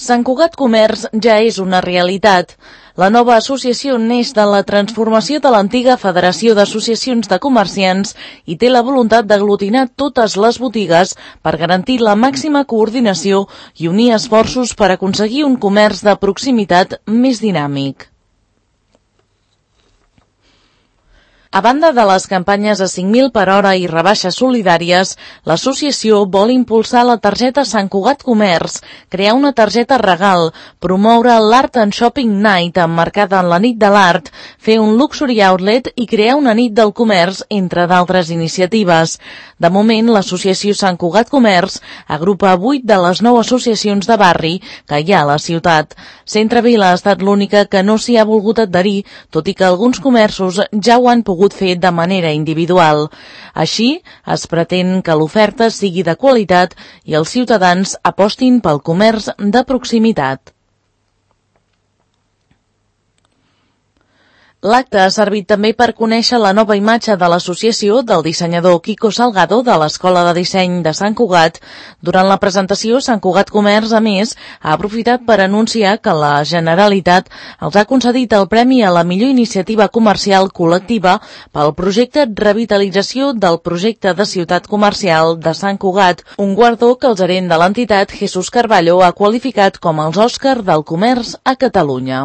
Sant Cugat Comerç ja és una realitat. La nova associació neix de la transformació de l'antiga Federació d'Associacions de Comerciants i té la voluntat d'aglutinar totes les botigues per garantir la màxima coordinació i unir esforços per aconseguir un comerç de proximitat més dinàmic. A banda de les campanyes a 5.000 per hora i rebaixes solidàries, l'associació vol impulsar la targeta Sant Cugat Comerç, crear una targeta regal, promoure l'Art and Shopping Night emmarcada en la nit de l'art, fer un Luxury Outlet i crear una nit del comerç, entre d'altres iniciatives. De moment, l'associació Sant Cugat Comerç agrupa 8 de les 9 associacions de barri que hi ha a la ciutat. Centre Vila ha estat l'única que no s'hi ha volgut adherir, tot i que alguns comerços ja ho han pogut fer de manera individual. Així, es pretén que l'oferta sigui de qualitat i els ciutadans apostin pel comerç de proximitat. L'acte ha servit també per conèixer la nova imatge de l'associació del dissenyador Quico Salgado de l'Escola de Disseny de Sant Cugat. Durant la presentació, Sant Cugat Comerç, a més, ha aprofitat per anunciar que la Generalitat els ha concedit el Premi a la millor iniciativa comercial col·lectiva pel projecte Revitalització del projecte de ciutat comercial de Sant Cugat, un guardó que el gerent de l'entitat, Jesús Carballo, ha qualificat com els Òscar del comerç a Catalunya.